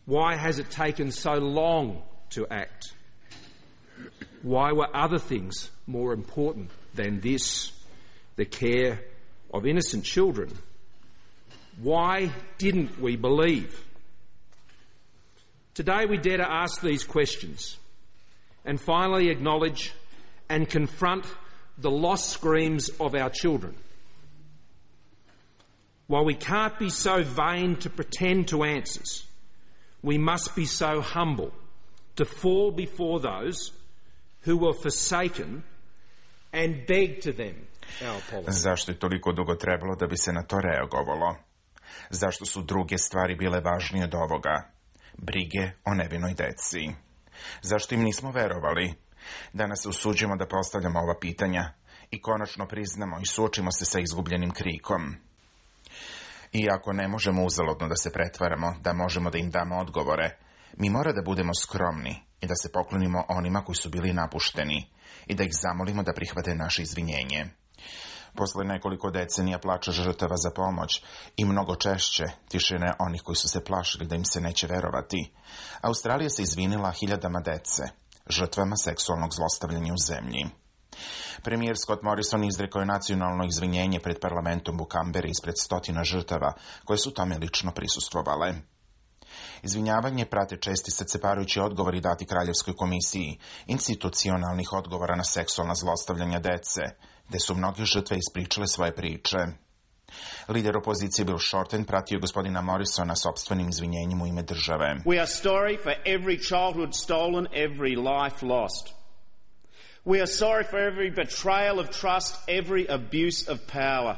Why has it taken so long to act? Why were other things more important than this, the care of innocent children? Why didn't we believe? Today we dare to ask these questions and finally acknowledge and confront the lost screams of our children. While we can't be so vain to pretend to answers, we must be so humble to fall before those who were forsaken and beg to them our apology. Zašto je toliko dugo trebalo da bi se na to reagovalo? Zašto su druge stvari bile važnije od ovoga? Brige o nevinoj deci. Zašto im nismo verovali? Danas se usuđujemo da postavljamo ova pitanja i konačno priznamo i suočimo se sa izgubljenim krikom. Iako ne možemo uzaludno da se pretvaramo, da možemo da im damo odgovore, mi mora da budemo skromni i da se poklonimo onima koji su bili napušteni i da ih zamolimo da prihvate naše izvinjenje. Posle nekoliko decenija plača žrtava za pomoć i mnogo češće tišine onih koji su se plašili da im se neće verovati, Australija se izvinila hiljadama dece, žrtvama seksualnog zlostavljanja u zemlji. Premijer Scott Morrison izrekao je nacionalno izvinjenje pred parlamentom u Kamberi ispred 100 žrtava koje su tome lično prisustvovale. Izvinjavanje prate česti srceparujući odgovori dati Kraljevskoj komisiji institucionalnih odgovora na seksualna zlostavljanja dece, gde su mnoge žrtve ispričale svoje priče. Lider opozicije Bill Shorten pratio gospodina Morrisona sopstvenim izvinjenjem u ime države. We are sorry for every childhood stolen, every life lost. We are sorry for every betrayal of trust, every abuse of power.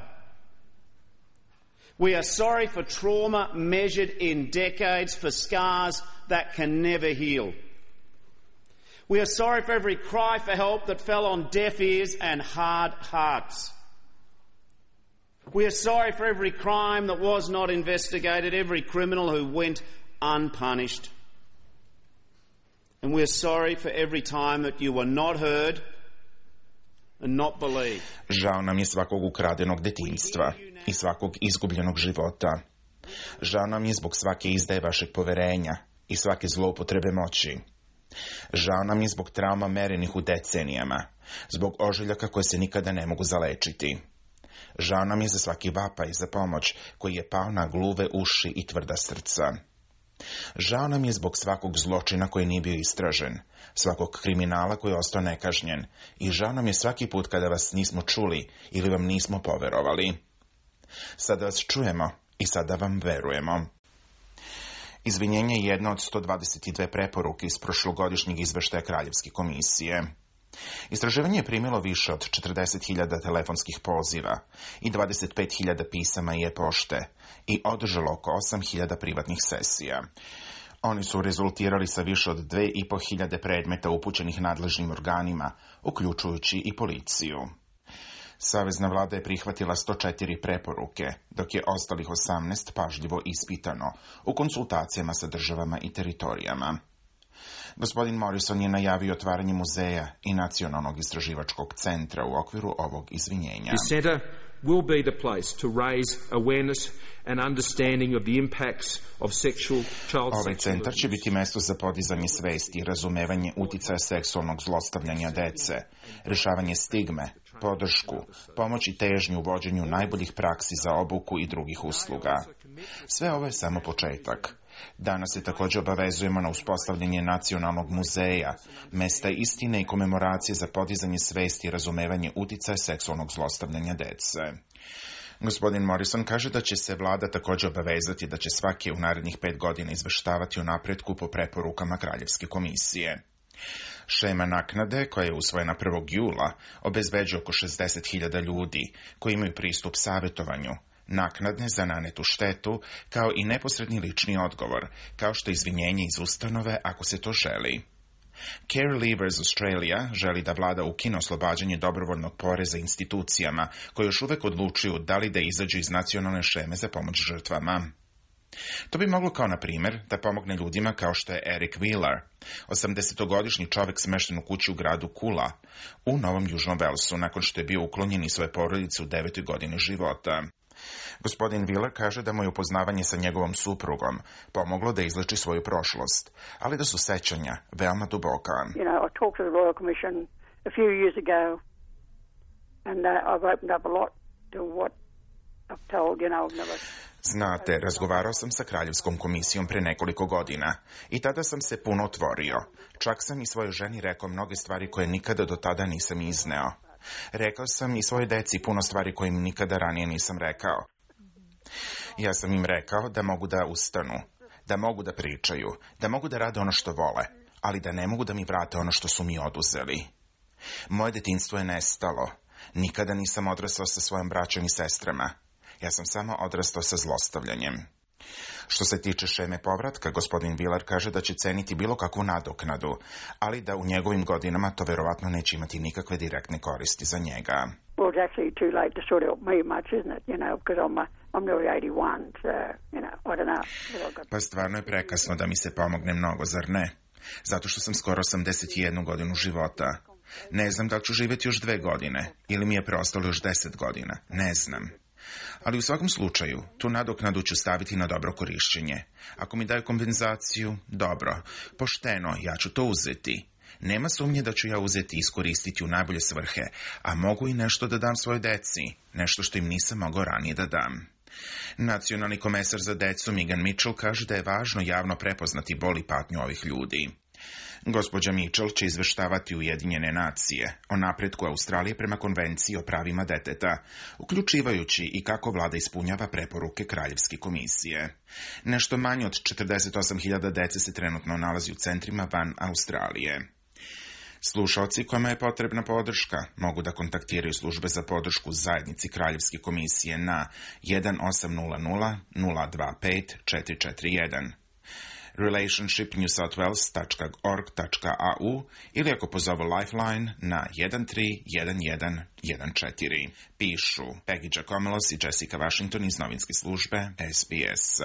We are sorry for trauma measured in decades, for scars that can never heal. We are sorry for every cry for help that fell on deaf ears and hard hearts. We are sorry for every crime that was not investigated, every criminal who went unpunished. And we are sorry for every time that you were not heard and not believed. Žao nam je svakog ukradenog detinjstva i svakog izgubljenog života. Žao nam je zbog svake izdaje vašeg poverenja i svake zloupotrebe moći. Žao nam je zbog trauma merenih u decenijama, zbog ožiljaka koje se nikada ne mogu zalečiti. Žao nam je za svaki vapaj za pomoć koji je pao na gluve uši i tvrda srca. Žao nam je zbog svakog zločina koji nije bio istražen, svakog kriminala koji je ostao nekažnjen i žao nam je svaki put kada vas nismo čuli ili vam nismo poverovali. Sada vas čujemo i sada vam verujemo. Izvinjenje je jedna od 122 preporuke iz prošlogodišnjeg izveštaja Kraljevske komisije. Istraživanje je primilo više od 40.000 telefonskih poziva i 25.000 pisama i e-pošte i održalo oko 8.000 privatnih sesija. Oni su rezultirali sa više od 2.500 predmeta upućenih nadležnim organima, uključujući i policiju. Savezna vlada je prihvatila 104 preporuke, dok je ostalih 18 pažljivo ispitano u konsultacijama sa državama i teritorijama. Gospodin Morrison je najavio otvaranje muzeja i nacionalnog istraživačkog centra u okviru ovog izvinjenja. The centre will be the place to raise awareness and understanding of the impacts of sexual child Ovaj centar će biti mesto za podizanje svesti i razumevanje uticaja seksualnog zlostavljanja dece, rješavanje stigme, podršku, pomoć i težnju u vođenju najboljih praksi za obuku i drugih usluga. Sve ovo je samo početak. Danas se također obavezujemo na uspostavljanje nacionalnog muzeja, mesta istine i komemoracije za podizanje svesti i razumevanje uticaja seksualnog zlostavljanja dece. Gospodin Morrison kaže da će se vlada također obavezati da će svake u narednih 5 godina izveštavati o napretku po preporukama Kraljevske komisije. Šema naknade, koja je usvojena 1. jula, obezbeđuje oko 60.000 ljudi koji imaju pristup savjetovanju, naknadne za nanetu štetu, kao i neposredni lični odgovor, kao što je izvinjenje iz ustanove ako se to želi. Care Leavers Australia želi da vlada ukine oslobađanje dobrovoljnog poreza institucijama koje još uvek odlučuju da li da izađu iz nacionalne šeme za pomoć žrtvama. To bi moglo kao na primjer da pomogne ljudima kao što je Eric Wheeler, 80-godišnji čovjek smešten u kući u gradu Kula, u Novom Južnom Velsu, nakon što je bio uklonjen iz svoje porodice u 9. godini života. Gospodin Wheeler kaže da mu je upoznavanje sa njegovom suprugom pomoglo da izleči svoju prošlost, ali da su sećanja veoma duboka. You know, I talked to the Royal Commission a few years ago and I've opened up a lot to what I've told, you know, I've never... Znate, razgovarao sam sa Kraljevskom komisijom pre nekoliko godina i tada sam se puno otvorio. Čak sam i svojoj ženi rekao mnoge stvari koje nikada do tada nisam izneo. Rekao sam i svojoj deci puno stvari koje im nikada ranije nisam rekao. Ja sam im rekao da mogu da ustanu, da mogu da pričaju, da mogu da rade ono što vole, ali da ne mogu da mi vrate ono što su mi oduzeli. Moje detinjstvo je nestalo. Nikada nisam odrastao sa svojom braćom i sestrama. Ja sam samo odrastao sa zlostavljanjem. Što se tiče šeme povratka, gospodin Wheeler kaže da će ceniti bilo kakvu nadoknadu, ali da u njegovim godinama to verovatno neće imati nikakve direktne koristi za njega. Well, it's actually too late to sort out me much, isn't it? You know, because I'm nearly 81, so, you know, I don't know. Pa stvarno je prekasno da mi se pomogne mnogo, zar ne? Zato što sam skoro 81 godinu života. Ne znam da li ću živjeti još 2 godine, ili mi je preostalo još 10 godina. Ne znam. Ali u svakom slučaju, tu nadoknadu ću staviti na dobro korišćenje. Ako mi daju kompenzaciju, dobro, pošteno, ja ću to uzeti. Nema sumnje da ću ja uzeti i iskoristiti u najbolje svrhe, a mogu i nešto da dam svojoj deci, nešto što im nisam mogao ranije da dam. Nacionalni komesar za decu Megan Mitchell kaže da je važno javno prepoznati bol i patnju ovih ljudi. Gospođa Mitchell će izveštavati Ujedinjene nacije o napretku Australije prema konvenciji o pravima deteta, uključivajući i kako vlada ispunjava preporuke Kraljevske komisije. Nešto manje od 48.000 dece se trenutno nalazi u centrima van Australije. Slušaoci kojima je potrebna podrška mogu da kontaktiraju službe za podršku zajednici Kraljevske komisije na 1800 025 441. relationshipnewsouthwales.org.au ili ako pozovu Lifeline na 131114. Pišu Peggy Giacomelos i Jessica Washington iz novinske službe SBS.